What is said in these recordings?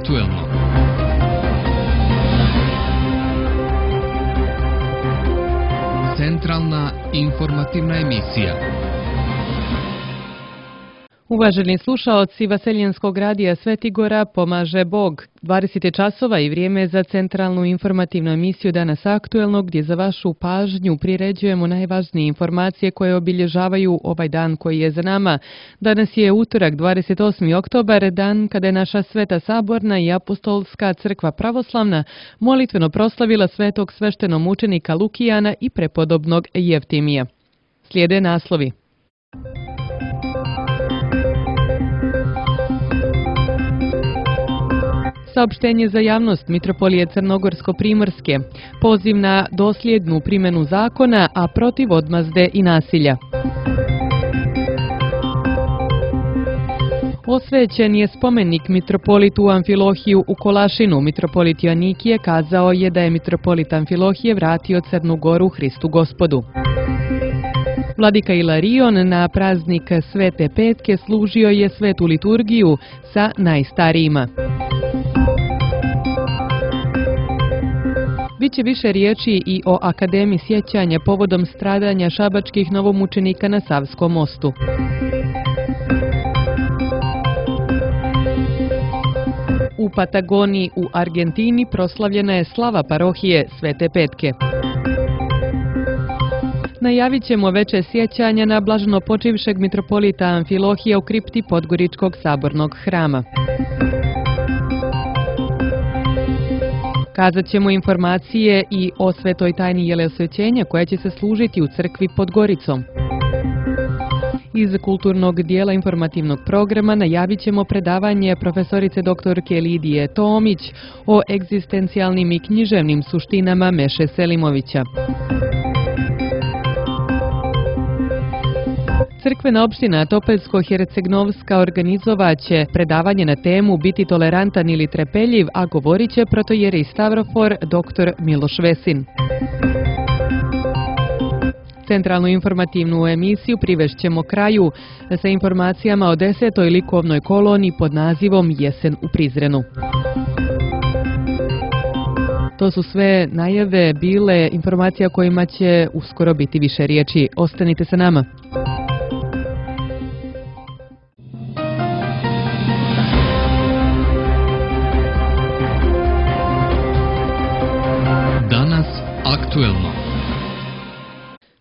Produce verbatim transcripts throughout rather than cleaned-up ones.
aktuelno. Centralna informativna emisija. Uvaženi slušaoci Vaseljenskog radija Sveti Gora pomaže Bog. dvadeset je časova i vrijeme za centralnu informativnu emisiju Danas aktuelno, gdje za vašu pažnju priređujemo najvažnije informacije koje obilježavaju ovaj dan koji je za nama. Danas je utorak, dvadeset osmi oktobar, dan kada je naša Sveta Saborna i Apostolska crkva pravoslavna molitveno proslavila svetog sveštenomučenika Lukijana i prepodobnog Jeftimija. Slijede naslovi. Saopštenje za javnost Mitropolije Crnogorsko-Primorske, poziv na dosljednu primjenu zakona, a protiv odmazde i nasilja. Osvećen je spomenik mitropolitu Amfilohiju u Kolašinu. Mitropolit Joannikije kazao je da je mitropolit Amfilohije vratio Crnu Goru Hristu Gospodu. Vladika Ilarion na praznik Svete Petke služio je svetu liturgiju sa najstarijima. Biće više riječi i o Akademiji sjećanja povodom stradanja šabačkih novomučenika na Savskom mostu. U Patagoniji u Argentini proslavljena je slava parohije Svete Petke. Najavit ćemo veće sjećanja na blaženo počivšeg mitropolita Amfilohija u kripti Podgoričkog sabornog hrama. Kazat ćemo informacije i o svetoj tajni Jelesvećenja koja će se služiti u crkvi pod Goricom. Iz kulturnog dijela informativnog programa najavit ćemo predavanje profesorice doktorke Lidije Tomić o egzistencijalnim i književnim suštinama Meše Selimovića. Crkvena opština Topelsko-Hercegnovska organizovaće predavanje na temu Biti tolerantan ili trepeljiv, a govorit će protojeri Stavrofor dr Miloš Vesin. Centralnu informativnu emisiju privešćemo kraju sa informacijama o desetoj likovnoj koloniji pod nazivom Jesen u Prizrenu. To su sve najave bile informacija kojima će uskoro biti više riječi. Ostanite sa nama. Danas aktuelno.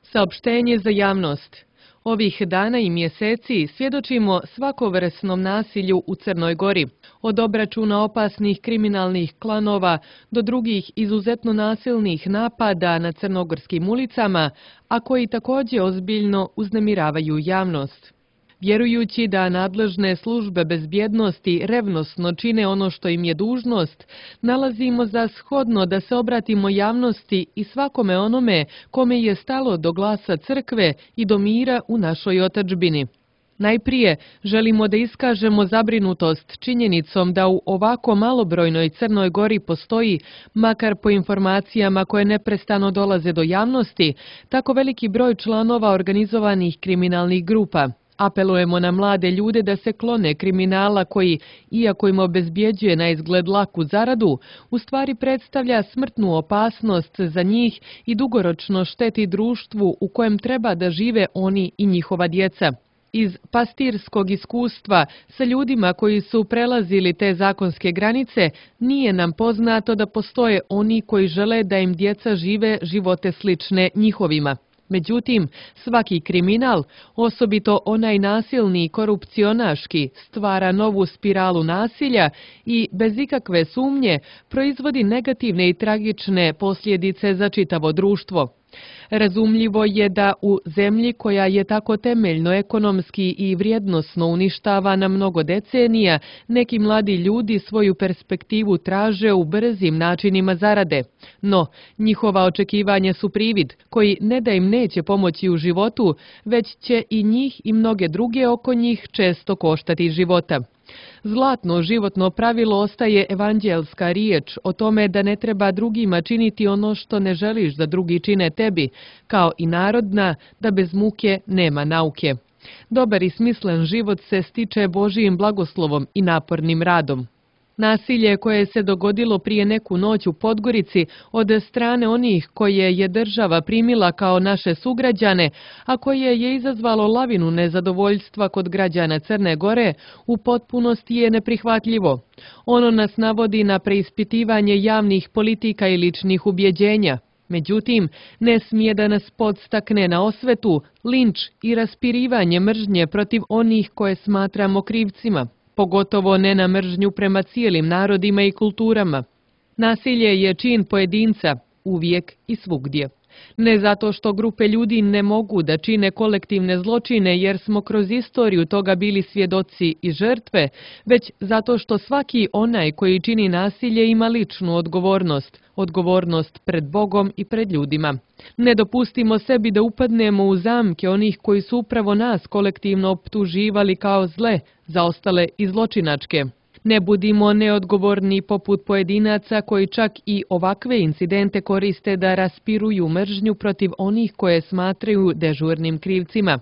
Saopštenje za javnost. Ovih dana i mjeseci svjedočimo svakovrsnom nasilju u Crnoj Gori. Od obračuna opasnih kriminalnih klanova do drugih izuzetno nasilnih napada na crnogorskim ulicama, a koji također ozbiljno uznemiravaju javnost. Vjerujući da nadležne službe bezbjednosti revnosno čine ono što im je dužnost, nalazimo za shodno da se obratimo javnosti i svakome onome kome je stalo do glasa crkve i do mira u našoj otadžbini. Najprije želimo da iskažemo zabrinutost činjenicom da u ovako malobrojnoj Crnoj Gori postoji, makar po informacijama koje neprestano dolaze do javnosti, tako veliki broj članova organizovanih kriminalnih grupa. Apelujemo na mlade ljude da se klone kriminala koji, iako im obezbjeđuje na izgled laku zaradu, u stvari predstavlja smrtnu opasnost za njih i dugoročno šteti društvu u kojem treba da žive oni i njihova djeca. Iz pastirskog iskustva sa ljudima koji su prelazili te zakonske granice, nije nam poznato da postoje oni koji žele da im djeca žive živote slične njihovima. Međutim, svaki kriminal, osobito onaj nasilni i korupcionaški, stvara novu spiralu nasilja i, bez ikakve sumnje, proizvodi negativne i tragične posljedice za čitavo društvo. Razumljivo je da u zemlji koja je tako temeljno ekonomski i vrijednosno uništavana mnogo decenija, neki mladi ljudi svoju perspektivu traže u brzim načinima zarade. No, njihova očekivanja su privid, koji ne da im neće pomoći u životu, već će i njih i mnoge druge oko njih često koštati života. Zlatno životno pravilo ostaje evanđelska riječ o tome da ne treba drugima činiti ono što ne želiš da drugi čine tebi, kao i narodna da bez muke nema nauke. Dobar i smislen život se stiče Božijim blagoslovom i napornim radom. Nasilje koje se dogodilo prije neku noć u Podgorici od strane onih koje je država primila kao naše sugrađane, a koje je izazvalo lavinu nezadovoljstva kod građana Crne Gore, u potpunosti je neprihvatljivo. Ono nas navodi na preispitivanje javnih politika i ličnih ubjeđenja. Međutim, ne smije da nas podstakne na osvetu, linč i raspirivanje mržnje protiv onih koje smatramo krivcima, pogotovo ne na mržnju prema cijelim narodima i kulturama. Nasilje je čin pojedinca, uvijek i svugdje. Ne zato što grupe ljudi ne mogu da čine kolektivne zločine jer smo kroz istoriju toga bili svjedoci i žrtve, već zato što svaki onaj koji čini nasilje ima ličnu odgovornost, odgovornost pred Bogom i pred ljudima. Ne dopustimo sebi da upadnemo u zamke onih koji su upravo nas kolektivno optuživali kao zle, zaostale i zločinačke. Ne budimo neodgovorni poput pojedinaca koji čak i ovakve incidente koriste da raspiruju mržnju protiv onih koje smatraju dežurnim krivcima.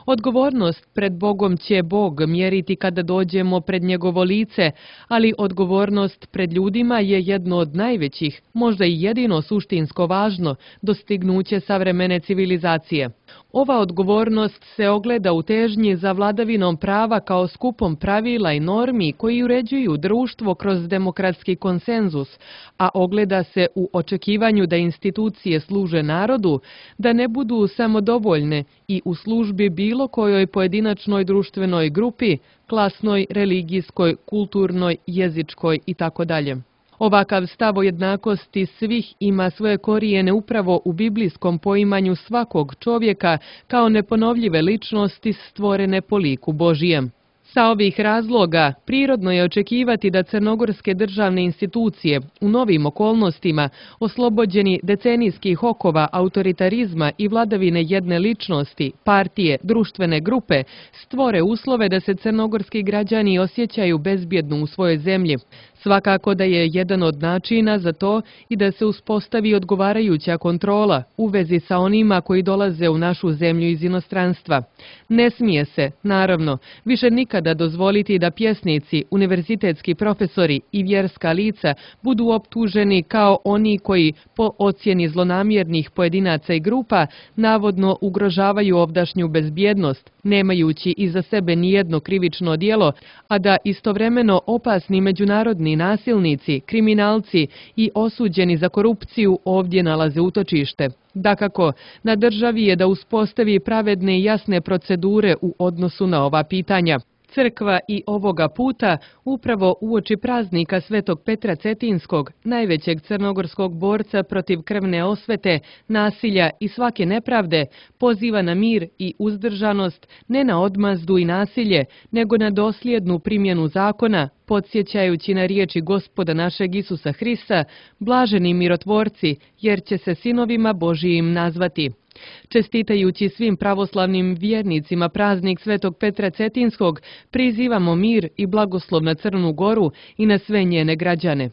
Odgovornost pred Bogom će Bog mjeriti kada dođemo pred njegovo lice, ali odgovornost pred ljudima je jedno od najvećih, možda i jedino suštinsko važno, dostignuće savremene civilizacije. Ova odgovornost se ogleda u težnji za vladavinom prava kao skupom pravila i normi koji uređuju društvo kroz demokratski konsenzus, a ogleda se u očekivanju da institucije služe narodu, da ne budu samodovoljne i u službi bilo kojoj pojedinačnoj društvenoj grupi, klasnoj, religijskoj, kulturnoj, jezičkoj itd. Ovakav stav o jednakosti svih ima svoje korijene upravo u biblijskom poimanju svakog čovjeka kao neponovljive ličnosti stvorene po liku Božijem. Sa ovih razloga prirodno je očekivati da crnogorske državne institucije u novim okolnostima, oslobođeni decenijskih okova autoritarizma i vladavine jedne ličnosti, partije, društvene grupe, stvore uslove da se crnogorski građani osjećaju bezbjedno u svojoj zemlji. Svakako da je jedan od načina za to i da se uspostavi odgovarajuća kontrola u vezi sa onima koji dolaze u našu zemlju iz inostranstva. Ne smije se, naravno, više nikada dozvoliti da pjesnici, univerzitetski profesori i vjerska lica budu optuženi kao oni koji, po ocjeni zlonamjernih pojedinaca i grupa, navodno ugrožavaju ovdašnju bezbjednost, nemajući iza sebe nijedno krivično djelo, a da istovremeno opasni međunarodni nasilnici, kriminalci i osuđeni za korupciju ovdje nalaze utočište. Dakako, na državi je da uspostavi pravedne i jasne procedure u odnosu na ova pitanja. Crkva i ovoga puta, upravo uoči praznika Svetog Petra Cetinskog, najvećeg crnogorskog borca protiv krvne osvete, nasilja i svake nepravde, poziva na mir i uzdržanost, ne na odmazdu i nasilje, nego na dosljednu primjenu zakona, podsjećajući na riječi Gospoda našeg Isusa Hrista, blaženi mirotvorci, jer će se sinovima Božijim nazvati. Čestitajući svim pravoslavnim vjernicima praznik Svetog Petra Cetinskog, prizivamo mir i blagoslov na Crnu Goru i na sve njene građane.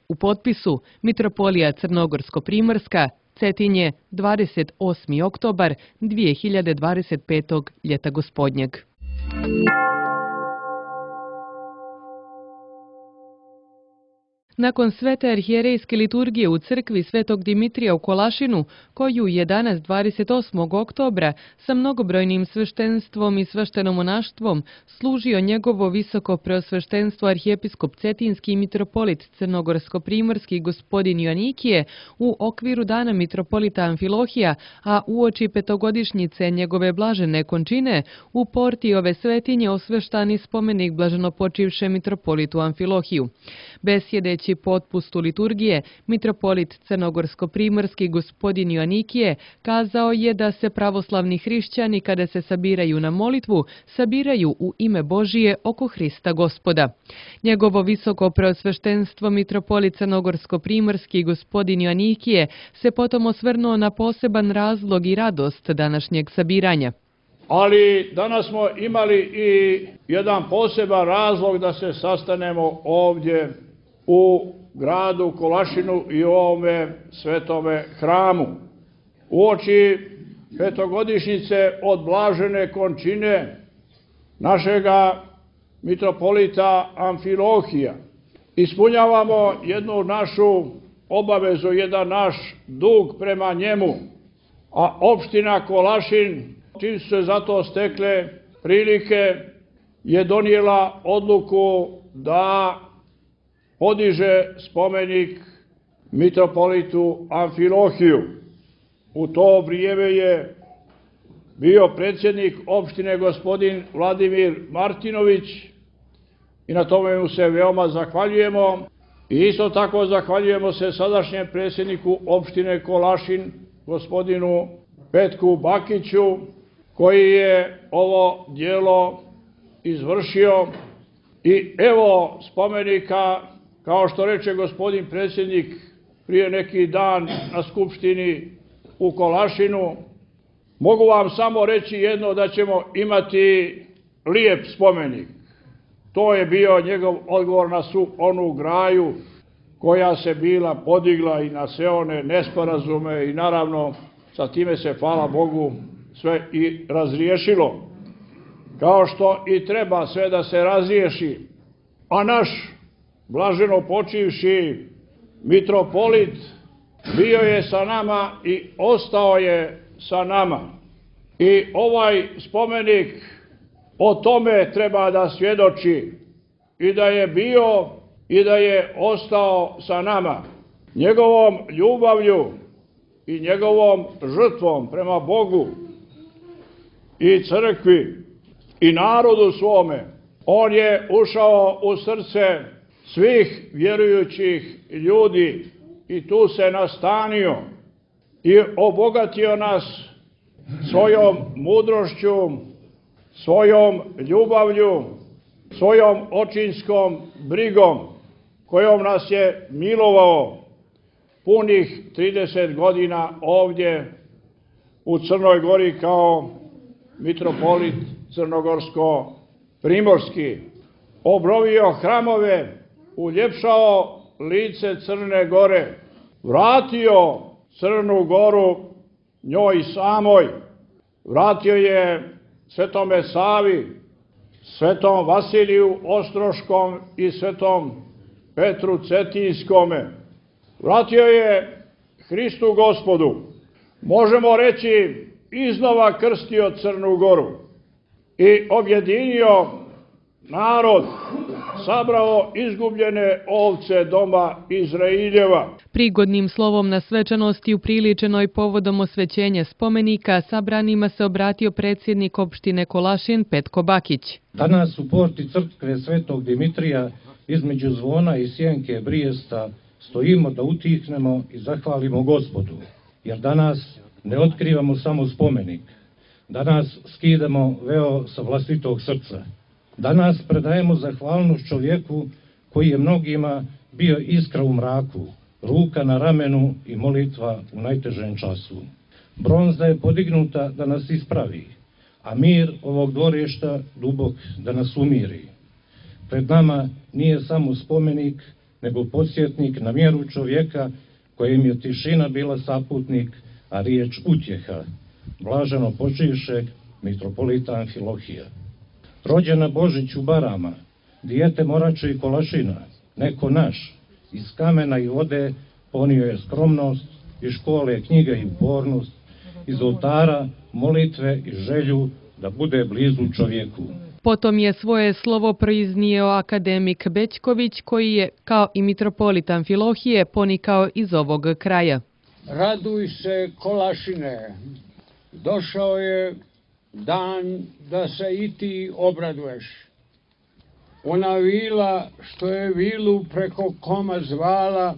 U potpisu Mitropolija Crnogorsko-Primorska, Cetinje, dvadeset osmi oktobar dvije hiljade dvadeset petog ljeta gospodnjeg. Nakon svete arhijerejske liturgije u crkvi Svetog Dimitrija u Kolašinu, koju je danas dvadeset osmog oktobra sa mnogobrojnim sveštenstvom i sveštenomonaštvom služio njegovo visoko preosveštenstvo arhijepiskop Cetinski i mitropolit Crnogorsko-Primorski gospodin Joanikije u okviru dana mitropolita Amfilohija, a uoči petogodišnjice njegove blažene končine, u porti ove svetinje osveštani spomenik blaženopočivše mitropolitu Amfilohiju. Besjedeći potpustu liturgije, mitropolit Crnogorsko-Primorski gospodin Joanikije kazao je da se pravoslavni hrišćani kada se sabiraju na molitvu, sabiraju u ime Božije oko Hrista Gospoda. Njegovo visoko preosveštenstvo mitropolit Crnogorsko-Primorski gospodin Joanikije se potom osvrnuo na poseban razlog i radost današnjeg sabiranja. Ali danas smo imali i jedan poseban razlog da se sastanemo ovdje u gradu Kolašinu i u ovome svetome hramu. Uoči petogodišnjice od blažene končine našega mitropolita Amfilohija ispunjavamo jednu našu obavezu, jedan naš dug prema njemu, a opština Kolašin, čim su se za to stekle prilike, je donijela odluku da podiže spomenik mitropolitu Amfilohiju. U to vrijeme je bio predsjednik opštine gospodin Vladimir Martinović i na tome mu se veoma zahvaljujemo. I isto tako zahvaljujemo se sadašnjem predsjedniku opštine Kolašin, gospodinu Petku Bakiću, koji je ovo djelo izvršio. I evo spomenika, kao što reče gospodin predsjednik prije neki dan na skupštini u Kolašinu, mogu vam samo reći jedno, da ćemo imati lijep spomenik. To je bio njegov odgovor na svu onu graju koja se bila podigla i na sve one nesporazume i naravno sa time se, hvala Bogu, sve i razriješilo. Kao što i treba sve da se razriješi. A naš blaženo počivši mitropolit bio je sa nama i ostao je sa nama. I ovaj spomenik o tome treba da svjedoči i da je bio i da je ostao sa nama. Njegovom ljubavlju i njegovom žrtvom prema Bogu i crkvi i narodu svome, on je ušao u srce svih vjerujućih ljudi i tu se nastanio i obogatio nas svojom mudrošću, svojom ljubavlju, svojom očinskom brigom, kojom nas je milovao punih trideset godina ovdje u Crnoj Gori kao mitropolit crnogorsko-primorski. Obnovio hramove, uljepšao lice Crne Gore, vratio Crnu Goru njoj samoj, vratio je Svetome Savi, Svetom Vasiliju Ostroškom i Svetom Petru Cetinskome. Vratio je Hristu Gospodu. Možemo reći, iznova krstio Crnu Goru i objedinio narod, sabrao izgubljene ovce doma Izraeljeva. Prigodnim slovom na svečanosti upriličenoj povodom osvećenja spomenika sabranima se obratio predsjednik opštine Kolašin Petko Bakić. Danas u porti crkve Svetog Dimitrija između zvona i sjenke Brijesta stojimo da utihnemo i zahvalimo Gospodu, jer danas ne otkrivamo samo spomenik, danas skidamo veo sa vlastitog srca. Danas predajemo zahvalnost čovjeku koji je mnogima bio iskra u mraku, ruka na ramenu i molitva u najtežem času. Bronza je podignuta da nas ispravi, a mir ovog dvorišta dubok da nas umiri. Pred nama nije samo spomenik, nego podsjetnik na mjeru čovjeka kojem je tišina bila saputnik, a riječ utjeha, blaženo počivšeg mitropolita Amfilohija. Rođena Božić u Barama, dijete Morače i Kolašina, neko naš, iz kamena i vode ponio je skromnost, iz škole knjiga i upornost, iz oltara molitve i želju da bude blizu čovjeku. Potom je svoje slovo proiznio akademik Bećković, koji je, kao i mitropolit Amfilohije, ponikao iz ovog kraja. Raduj se, Kolašine, došao je dan da se i ti obraduješ. Ona vila što je vilu preko koma zvala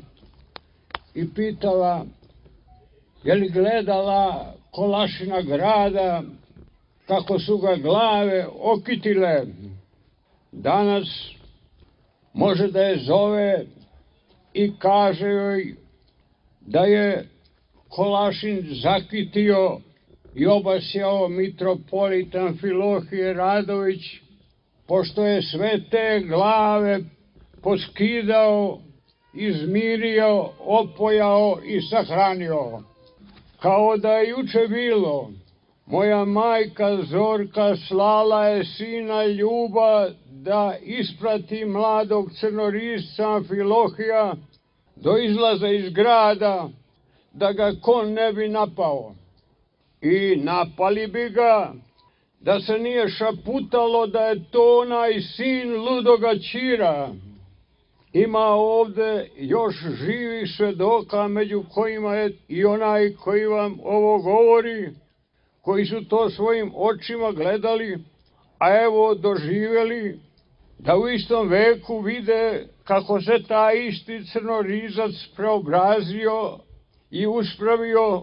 i pitala je li gledala Kolašina grada kako su ga glave okitile. Danas može da je zove i kaže joj da je Kolašin zakitio i obasjao mitropolit Amfilohije Radović, pošto je sve te glave poskidao, izmirio, opojao i sahranio. Kao da je juče bilo, moja majka Zorka slala je sina Ljuba da isprati mladog crnorisca Amfilohija do izlaza iz grada, da ga kon ne bi napao. I napali bi ga, da se nije šaputalo da je to onaj sin ludoga Ćira. Ima ovde još živih svedoka, među kojima je i onaj koji vam ovo govori, koji su to svojim očima gledali, a evo doživjeli da u istom veku vide kako se taj isti crnorizac preobrazio i uspravio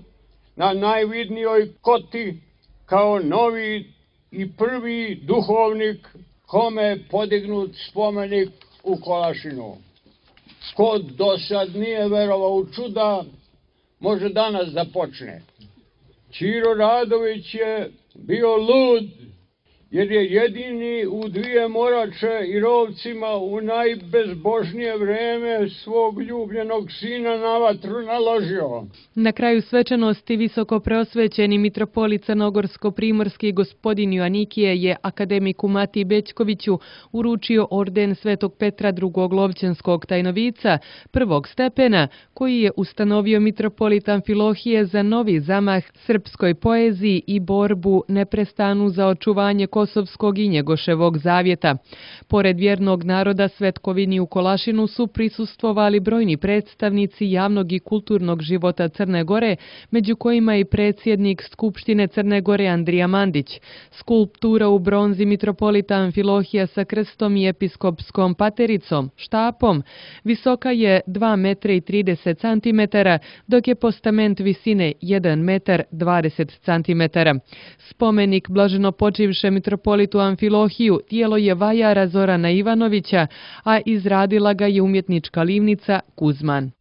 na najvidnijoj koti kao novi i prvi duhovnik kome je podignut spomenik u Kolašinu. Ko do sad nije verovao u čuda, može danas da počne. Ćiro Radović je bio lud, jer je jedini u dvije Morače i Rovcima u najbezbožnije vreme svog ljubljenog sina na vatru naložio. Na kraju svečanosti visoko preosvećeni mitropolit crnogorsko-primorski gospodin Joanikije je akademiku Matiji Bećkoviću uručio orden Svetog Petra drugog Lovćenskog tajnovica prvog stepena, koji je ustanovio mitropolit Amfilohije za novi zamah srpskoj poeziji i borbu neprestanu za očuvanje Kosovskog i Njegoševog zavjeta. Pored vjernog naroda svetkovini u Kolašinu su prisustvovali brojni predstavnici javnog i kulturnog života Crne Gore, među kojima i predsjednik Skupštine Crne Gore Andrija Mandić. Skulptura u bronzi mitropolita Amfilohija sa krstom i episkopskom patericom, štapom, visoka je dva metra i trideset centimetara, dok je postament visine jedan metar dvadeset centimetara. Spomenik blaženopočivše mitropolitu Amfilohiju tijelo je vajara Zorana Ivanovića, a izradila ga je umjetnička livnica Kuzman.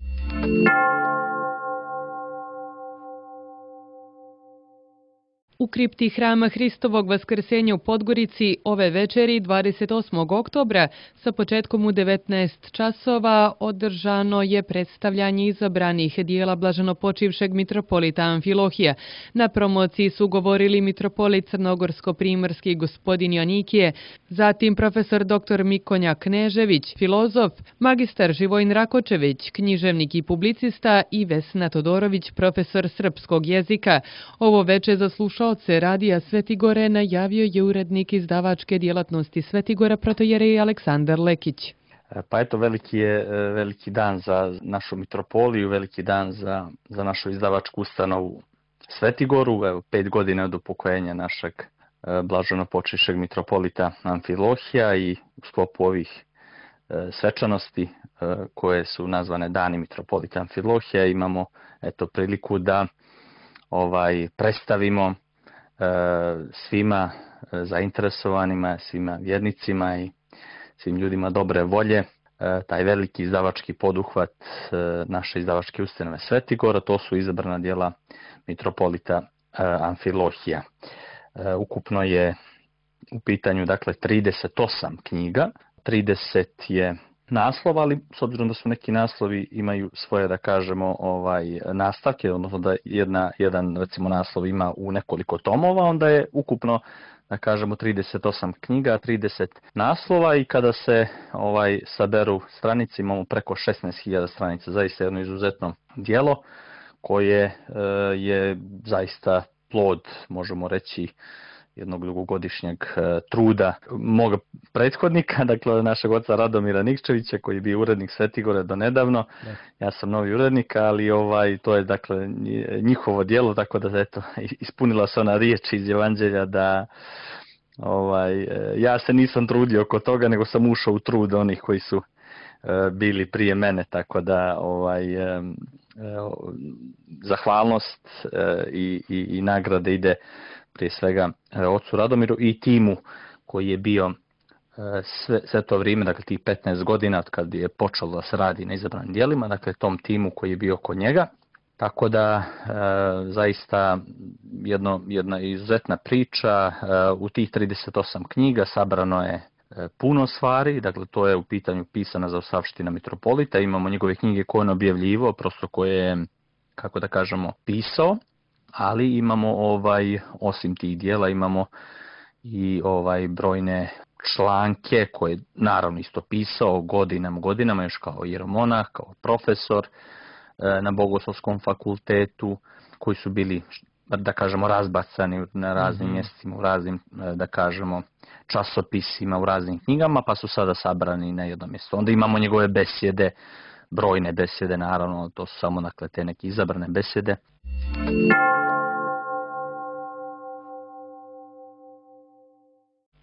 U kripti Hrama Hristovog Vaskrsenja u Podgorici ove večeri dvadeset osmog oktobra sa početkom u devetnaest časova održano je predstavljanje izabranih dijela blaženopočivšeg mitropolita Amfilohija. Na promociji su govorili mitropolit crnogorsko-primorski gospodin Joanikije, zatim profesor doktor Mikonja Knežević, filozof, magistar Živojin Rakočević, književnik i publicista i Vesna Todorović, profesor srpskog jezika. Ovo veče za slušalce Radija Svetigore najavio je urednik izdavačke djelatnosti Svetigora protojerej Aleksandar Lekić. Pa eto, veliki je veliki dan za našu mitropoliju, veliki dan za, za našu izdavačku ustanovu Svetigoru. Evo, pet godina od upokojenja našeg blaženopočivšeg mitropolita Amfilohija i u sklopu ovih svečanosti koje su nazvane Dani mitropolita Amfilohija imamo eto priliku da ovaj predstavimo svima zainteresovanima, svima vjernicima i svim ljudima dobre volje taj veliki izdavački poduhvat naše izdavačke ustanove Svetigora. To su izabrana djela mitropolita Amfilohija. Ukupno je u pitanju dakle trideset osam knjiga, trideset je naslova, ali s obzirom da su neki naslovi imaju svoje, da kažemo, ovaj nastavke, odnosno da jedna, jedan recimo naslov ima u nekoliko tomova, onda je ukupno, da kažemo, trideset osam knjiga, trideset naslova i kada se ovaj saberu stranice imamo preko šesnaest hiljada stranica, zaista jedno izuzetno djelo koje e, je zaista plod, možemo reći, jednog dugogodišnjeg e, truda moga prethodnika, dakle našeg oca Radomira Nikčevića koji je bio urednik Svetigore do nedavno. Da. Ja sam novi urednik, ali ovaj to je dakle njihovo djelo, tako da eto ispunila se ona riječ iz Evanđelja da ovaj ja se nisam trudio oko toga, nego sam ušao u trud onih koji su e, bili prije mene, tako da ovaj e, e, zahvalnost e, i, i, i nagrade ide prije svega ocu Radomiru i timu koji je bio sve, sve to vrijeme, dakle tih petnaest godina od kad je počelo da se radi na izabranim djelima, dakle tom timu koji je bio kod njega. Tako da e, zaista jedno, jedna izuzetna priča. E, u tih trideset osam knjiga sabrano je e, puno stvari, dakle to je u pitanju pisana za Savština mitropolita. Imamo njegove knjige koje on objavljivo, prosto koje je, kako da kažemo, pisao. Ali imamo ovaj osim tih dijela imamo i ovaj brojne članke koje je naravno isto pisao godinama, godinama još kao jeromonah, kao profesor na Bogoslovskom fakultetu, koji su bili, da kažemo, razbacani na raznim mjestima, u raznim, da kažemo, časopisima, u raznim knjigama, pa su sada sabrani na jedno mjesto. Onda imamo njegove besjede, brojne besjede, naravno, to su samo, dakle, te neke izabrane besjede.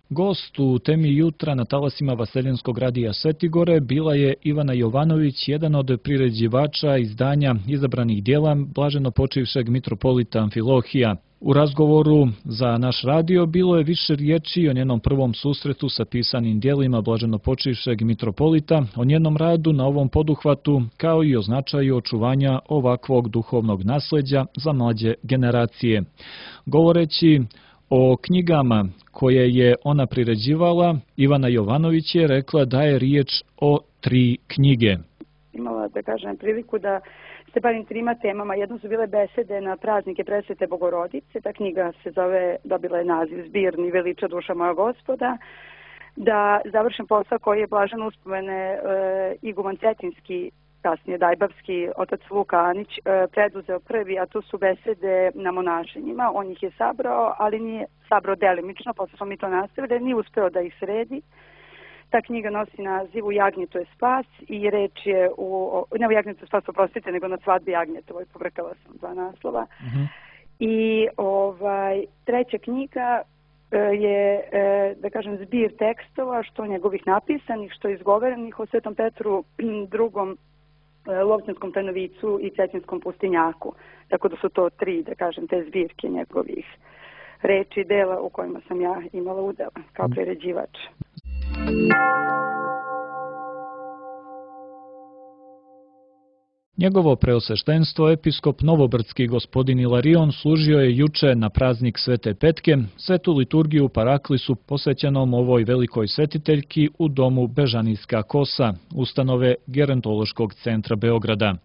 Gost u temi jutra na talasima Vaseljenskog radija Svetigore bila je Ivana Jovanović, jedan od priređivača izdanja izabranih dijela blaženo počivšeg mitropolita Amfilohija. U razgovoru za naš radio bilo je više riječi o njenom prvom susretu sa pisanim dijelima blaženo počivšeg mitropolita, o njenom radu na ovom poduhvatu, kao i o značaju očuvanja ovakvog duhovnog nasljeđa za mlađe generacije. Govoreći o knjigama koje je ona priređivala, Ivana Jovanović je rekla da je riječ o tri knjige. Imala, da kažem, priliku da se bavim trima temama. Jedno su bile besede na praznike Presvete Bogorodice. Ta knjiga se zove, dobila je naziv Zbirni veliča duša moja Gospoda. Da završim posao koji je blaženo uspomene e, iguman Cetinski, kasnije Dajbavski, otac Luka Anić, preduzeo prvi, a to su besede na monašenjima. On ih je sabrao, ali nije sabrao delimično, posle smo mi to nastavili, nije uspeo da ih sredi. Ta knjiga nosi naziv U jagnjetu je spas i reč je u, ne u jagnjetu je spas, oprostite, nego na svadbi Jagnjetovoj, pobrkala sam dva naslova. Uh-huh. I ovaj, treća knjiga je, da kažem, zbir tekstova, što njegovih napisanih, što izgovorenih o Svetom Petru drugom, Lovćanskom Trnovicu i Cetinskom pustinjaku. Tako da su to tri, da kažem, te zbirke njegovih reči i dela u kojima sam ja imala udela kao priređivač. Njegovo preosveštenstvo, episkop Novobrdski gospodin Ilarion, služio je juče na praznik Svete Petke, svetu liturgiju Paraklisu posvećenom ovoj velikoj svetiteljki u domu Bežanijska kosa, ustanove Gerontološkog centra Beograda.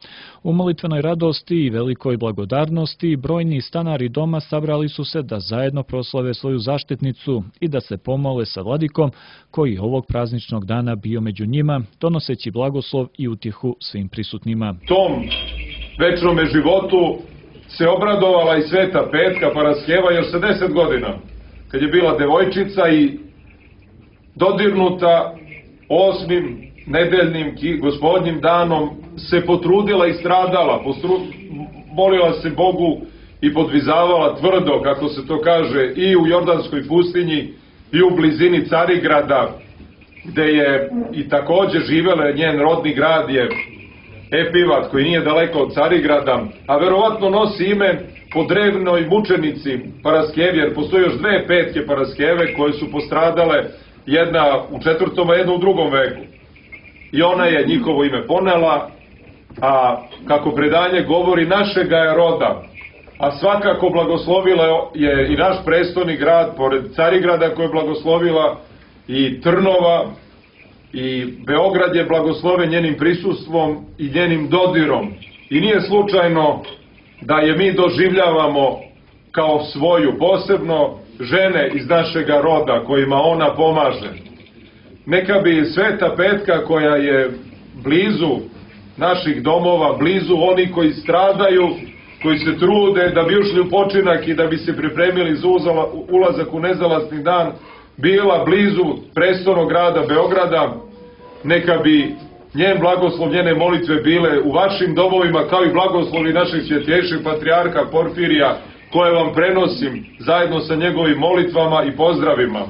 U molitvenoj radosti i velikoj blagodarnosti brojni stanari doma sabrali su se da zajedno proslave svoju zaštitnicu i da se pomole sa vladikom koji ovog prazničnog dana bio među njima, donoseći blagoslov i utjehu svim prisutnima. Tom večnome životu se obradovala i Sveta Petka Paraskeva još sa deset godina, kad je bila devojčica i dodirnuta osmim nedeljnim gospodnjim danom se potrudila i stradala, postru, molila se Bogu i podvizavala tvrdo, kako se to kaže, i u Jordanskoj pustinji i u blizini Carigrada, gde je i također živela, njen rodni grad je Epivat, koji nije daleko od Carigrada, a verovatno nosi ime po drevnoj mučenici Paraskevi, jer postoji još dve Petke Paraskeve koje su postradale, jedna u četvrtom, a jedna u drugom veku. I ona je njihovo ime ponela, a kako predanje govori, našega je roda, a svakako blagoslovila je i naš prestolni grad, pored Carigrada koje je blagoslovila, i Trnova, i Beograd je blagosloven njenim prisustvom i njenim dodirom. I nije slučajno da je mi doživljavamo kao svoju, posebno žene iz našega roda kojima ona pomaže. Neka bi Sveta Petka, koja je blizu naših domova, blizu oni koji stradaju, koji se trude da bi ušli u počinak i da bi se pripremili za ulazak u nezalasni dan, bila blizu prestolnog grada Beograda, neka bi njen blagoslov, njene molitve bile u vašim domovima, kao i blagoslovi naših svjetljejših patrijarha Porfirija, koje vam prenosim zajedno sa njegovim molitvama i pozdravima.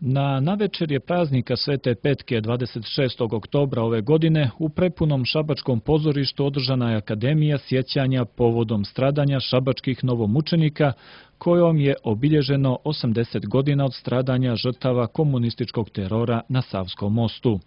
Na navečerje praznika Svete Petke dvadeset šestog oktobra ove godine u prepunom šabačkom pozorištu održana je akademija sjećanja povodom stradanja šabačkih novomučenika, kojom je obilježeno osamdeset godina od stradanja žrtava komunističkog terora na Savskom mostu.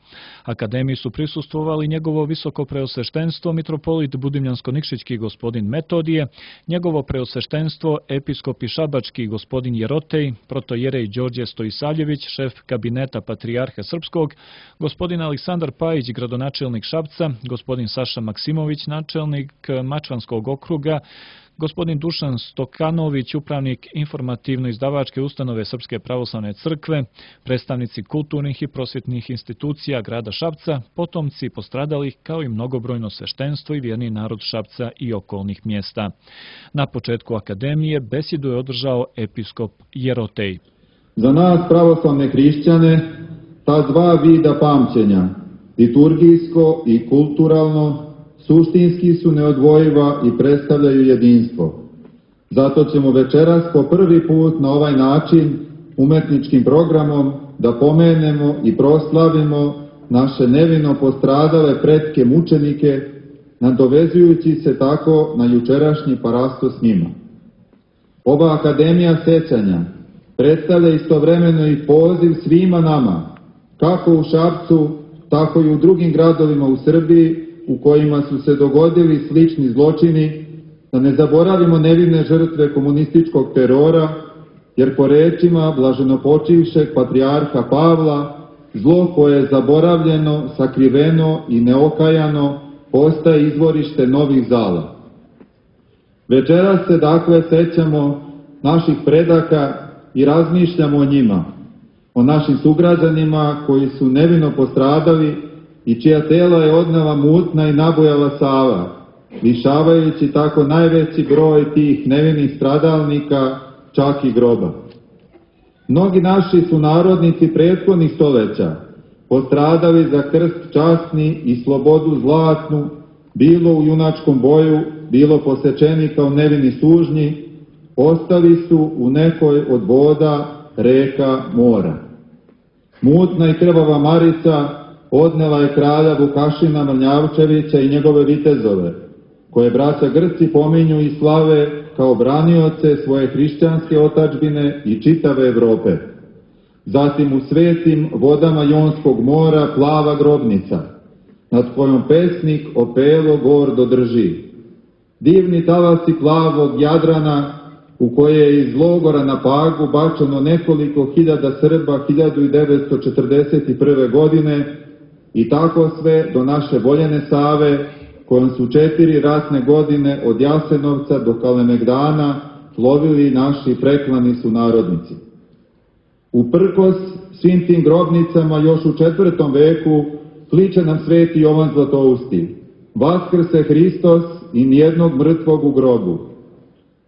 Akademiji su prisustvovali njegovo visoko preosveštenstvo mitropolit Budimljansko-Nikšićki gospodin Metodije, njegovo preosveštenstvo episkopi šabački gospodin Jerotej, protojerej Đorđe Stojisavljević, šef kabineta patrijarha srpskog, gospodin Aleksandar Pajić, gradonačelnik Šapca, gospodin Saša Maksimović, načelnik Mačvanskog okruga, Gospodin Dušan Stokanović, upravnik informativno-izdavačke ustanove Srpske pravoslavne crkve, predstavnici kulturnih i prosvjetnih institucija grada Šapca, potomci postradalih kao i mnogobrojno sveštenstvo i vjerni narod Šapca i okolnih mjesta. Na početku akademije besedu je održao episkop Jerotej. Za nas pravoslavne hrišćane ta dva vida pamćenja, liturgijsko i kulturalno, suštinski su neodvojiva i predstavljaju jedinstvo. Zato ćemo večeras po prvi put na ovaj način umetničkim programom da pomenemo i proslavimo naše nevino postradale pretke mučenike, nadovezujući se tako na jučerašnji parasto s njima. Ova akademija sećanja predstavlja istovremeno i poziv svima nama, kako u Šapcu, tako i u drugim gradovima u Srbiji, u kojima su se dogodili slični zločini, da ne zaboravimo nevine žrtve komunističkog terora, jer po rečima blaženopočivšeg patrijarha Pavla, zlo koje je zaboravljeno, sakriveno i neokajano postaje izvorište novih zala. Večeras se dakle sećamo naših predaka i razmišljamo o njima, o našim sugrađanima koji su nevino postradali i čija tela je odnela mutna i nabujala Sava, lišavajući tako najveći broj tih nevinih stradalnika čak i groba. Mnogi naši sunarodnici prethodnih stoljeća postradali za krst časni i slobodu zlatnu, bilo u junačkom boju, bilo posečeni kao nevini sužnji, ostali su u nekoj od voda, reka, mora. Mutna i krvava Marica odnela je kralja Vukašina Mrnjavčevića i njegove vitezove, koje braća Grci pominju i slave kao branioce svoje hrišćanske otadžbine i čitave Evrope. Zatim u svetim vodama Jonskog mora plava grobnica, nad kojom pesnik opelo gordo drži. Divni talasi plavog Jadrana, u koje je iz logora na Pagu bačeno nekoliko hiljada Srba hiljadu devetsto četrdeset prve. godine, i tako sve do naše voljene Save, kojom su četiri ratne godine od Jasenovca do Kalemegdana plovili naši preklani sunarodnici. Uprkos svim tim grobnicama još u četvrtom veku kliče nam sveti Jovan Zlatousti: Vaskrse Hristos i nijednog mrtvog u grobu.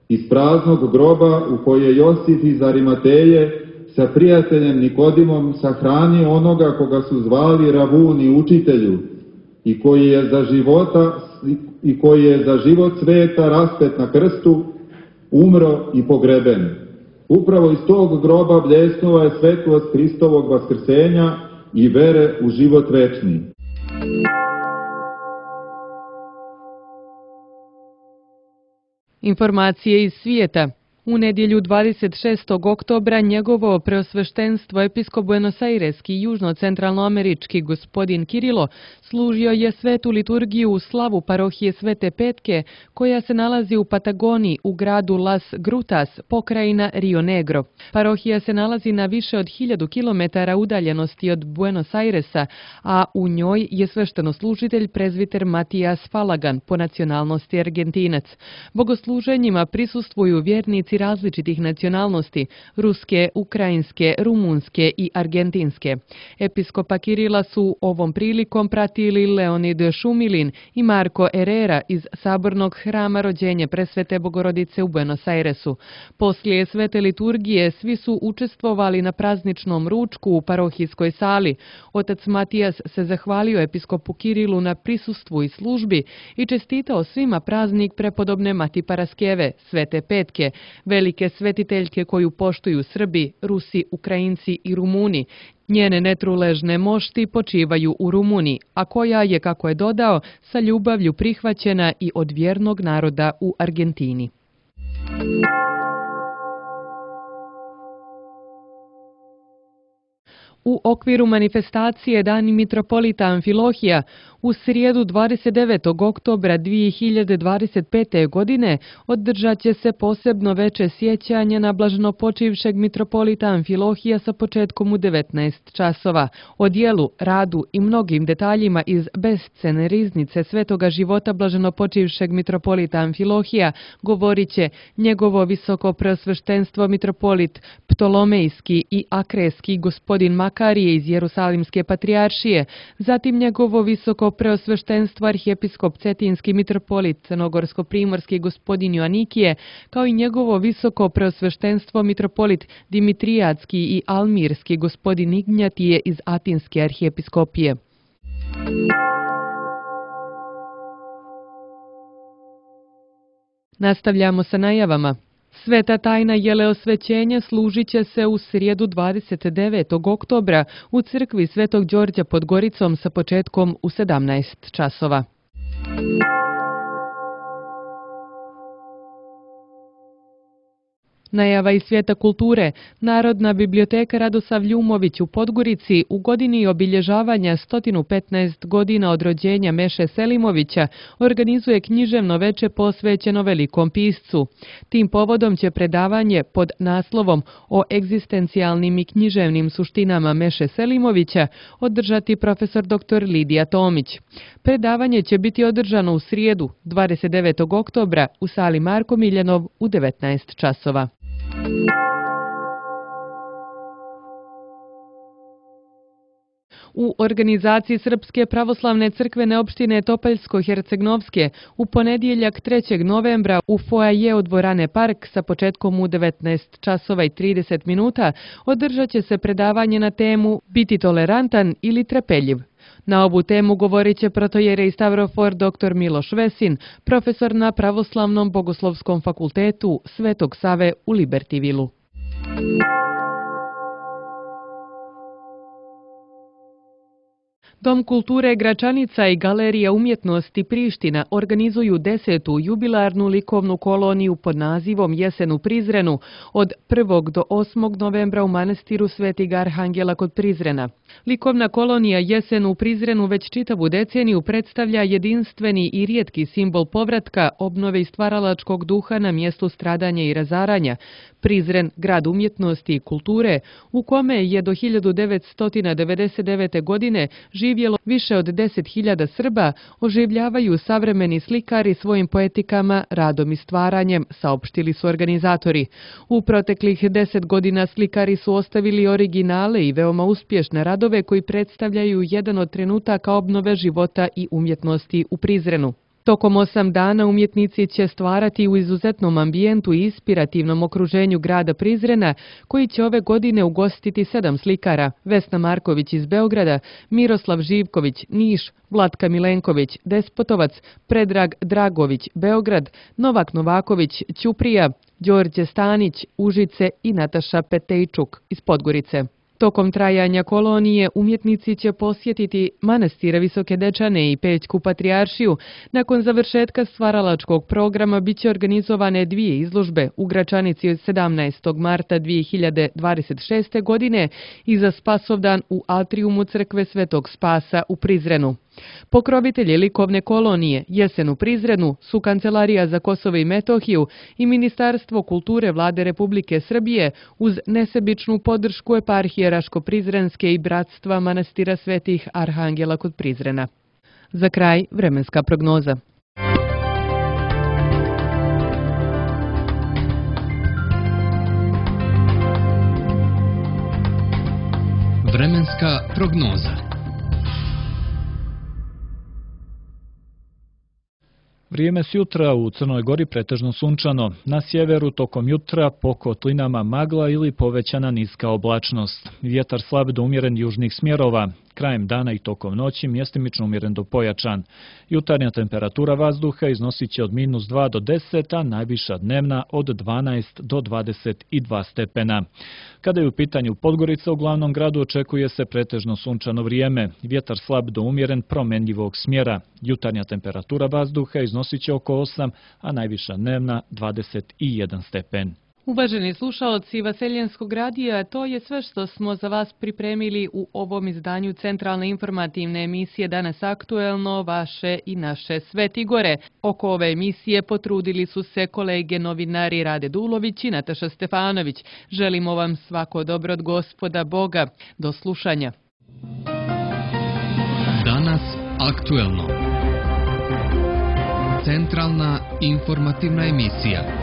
Iz praznog groba u koje je Josif iz Arimateje sa prijateljem Nikodimom sahranio onoga koga su zvali Ravuni, učitelju, i koji je za života i koji je za život sveta raspet na krstu, umro i pogreben. Upravo iz tog groba bljesnula je svetlost Hristovog vaskrsenja i vere u život večni. Informacije iz svijeta. U nedjelju dvadeset šestog oktobra njegovo preosveštenstvo episkop buenosaireski i južno-centralnoamerički gospodin Kirilo služio je svetu liturgiju u slavu parohije Svete Petke, koja se nalazi u Patagoniji u gradu Las Grutas, pokrajina Rio Negro. Parohija se nalazi na više od hiljadu kilometara udaljenosti od Buenos Airesa, a u njoj je sveštenoslужitelj prezviter Matijas Falagan, po nacionalnosti Argentinac. Bogosluženjima prisustvuju vjernici različitih nacionalnosti, ruske, ukrajinske, rumunske i argentinske. Episkopa Kirila su ovom prilikom pratili Leonid Šumilin i Marko Herrera iz Sabornog hrama Rođenje Presvete Bogorodice u Buenos Airesu. Poslije svete liturgije svi su učestvovali na prazničnom ručku u parohijskoj sali. Otac Matijas se zahvalio episkopu Kirilu na prisustvu i službi i čestitao svima praznik prepodobne Mati Paraskeve, Svete Petke, velike svetiteljke koju poštuju Srbi, Rusi, Ukrajinci i Rumuni. Njene netruležne mošti počivaju u Rumuniji, a koja je, kako je dodao, sa ljubavlju prihvaćena i od vjernog naroda u Argentini. U okviru manifestacije Dani mitropolita Amfilohija u srijedu dvadeset devetog oktobra dvije hiljade dvadeset pete. godine održat će se posebno veče sjećanje na blaženopočivšeg mitropolita Amfilohija sa početkom u devetnaest časova. O dijelu, radu i mnogim detaljima iz bescene riznice svetoga života blaženopočivšeg mitropolita Amfilohija govorit će njegovo visoko preosveštenstvo mitropolit Ptolomejski i Akreski gospodin Makarije iz Jerusalimske patrijaršije, zatim njegovo visoko preosveštenstvo arhijepiskop Cetinski mitropolit Crnogorsko-primorski gospodin Joanikije, kao i njegovo visoko preosveštenstvo mitropolit Dimitrijatski i Almirski gospodin Ignjatije iz Atinske arhijepiskopije. Nastavljamo sa najavama. Sveta tajna jeleosvećenja služit će se u srijedu dvadeset devetog oktobra u crkvi Svetog Đorđa pod Goricom sa početkom u sedamnaest časova. Najava iz svijeta kulture. Narodna biblioteka Radosav Ljumović u Podgorici u godini obilježavanja sto petnaest godina od rođenja Meše Selimovića organizuje književno veče posvećeno velikom piscu. Tim povodom će predavanje pod naslovom o egzistencijalnim i književnim suštinama Meše Selimovića održati profesor doktor Lidija Tomić. Predavanje će biti održano u srijedu dvadeset devetog oktobra u sali Marko Miljanov u devetnaest časova. U organizaciji Srpske pravoslavne crkvene opštine Topaljsko-Hercegnovske u ponedjeljak trećeg novembra u foaje od dvorane Park sa početkom u devetnaest časova i trideset minuta održat će se predavanje na temu Biti tolerantan ili trpeljiv. Na ovu temu govorit će protojerej Stavrofor doktor Miloš Vesin, profesor na Pravoslavnom bogoslovskom fakultetu Svetog Save u Libertivilu. Dom kulture Gračanica i Galerija umjetnosti Priština organizuju desetu jubilarnu likovnu koloniju pod nazivom Jesen u Prizrenu od prvog do osmog novembra u manastiru Svetog Arhangela kod Prizrena. Likovna kolonija Jesen u Prizrenu već čitavu deceniju predstavlja jedinstveni i rijetki simbol povratka, obnove i stvaralačkog duha na mjestu stradanja i razaranja. Prizren, grad umjetnosti i kulture, u kome je do hiljadu devetsto devedeset devete. godine živjelo više od deset hiljada Srba, oživljavaju savremeni slikari svojim poetikama, radom i stvaranjem, saopštili su organizatori. U proteklih deset godina slikari su ostavili originale i veoma uspješne radove koji predstavljaju jedan od trenutaka obnove života i umjetnosti u Prizrenu. Tokom osam dana umjetnici će stvarati u izuzetnom ambijentu i inspirativnom okruženju grada Prizrena, koji će ove godine ugostiti sedam slikara: Vesna Marković iz Beograda, Miroslav Živković, Niš, Vlatka Milenković, Despotovac, Predrag Dragović, Beograd, Novak Novaković, Ćuprija, Đorđe Stanić, Užice i Nataša Petejčuk iz Podgorice. Tokom trajanja kolonije umjetnici će posjetiti manastire Visoke Dečane i Pećku patrijaršiju. Nakon završetka stvaralačkog programa bit će organizovane dvije izložbe u Gračanici od sedamnaestog marta dvije hiljade dvadeset šeste. godine i za Spasovdan u atriumu crkve Svetog Spasa u Prizrenu. Pokrovitelji likovne kolonije Jesen u Prizrenu su Kancelarija za Kosovo i Metohiju i Ministarstvo kulture Vlade Republike Srbije uz nesebičnu podršku eparhije Raško-Prizrenske i bratstva manastira Svetih Arhangela kod Prizrena. Za kraj vremenska prognoza. Vremenska prognoza. Vrijeme s jutra u Crnoj Gori pretežno sunčano. Na sjeveru tokom jutra po kotlinama magla ili povećana niska oblačnost. Vjetar slab do umjeren južnih smjerova. Krajem dana i tokom noći mjestimično umjeren do pojačan. Jutarnja temperatura vazduha iznosit će od minus dva do deset, a najviša dnevna od dvanaest do dvadeset dva stepena. Kada je u pitanju Podgorica, u glavnom gradu očekuje se pretežno sunčano vrijeme. Vjetar slab do umjeren promjenjivog smjera. Jutarnja temperatura vazduha iznosit će oko osam, a najviša dnevna dvadeset jedan stepen. Uvaženi slušaoci Vaseljenskog radija, to je sve što smo za vas pripremili u ovom izdanju centralne informativne emisije Danas aktuelno, vaše i naše Sveti Gore. Oko ove emisije potrudili su se kolege novinari Rade Dulović i Nataša Stefanović. Želimo vam svako dobro od Gospoda Boga. Do slušanja. Danas aktuelno. Centralna informativna emisija.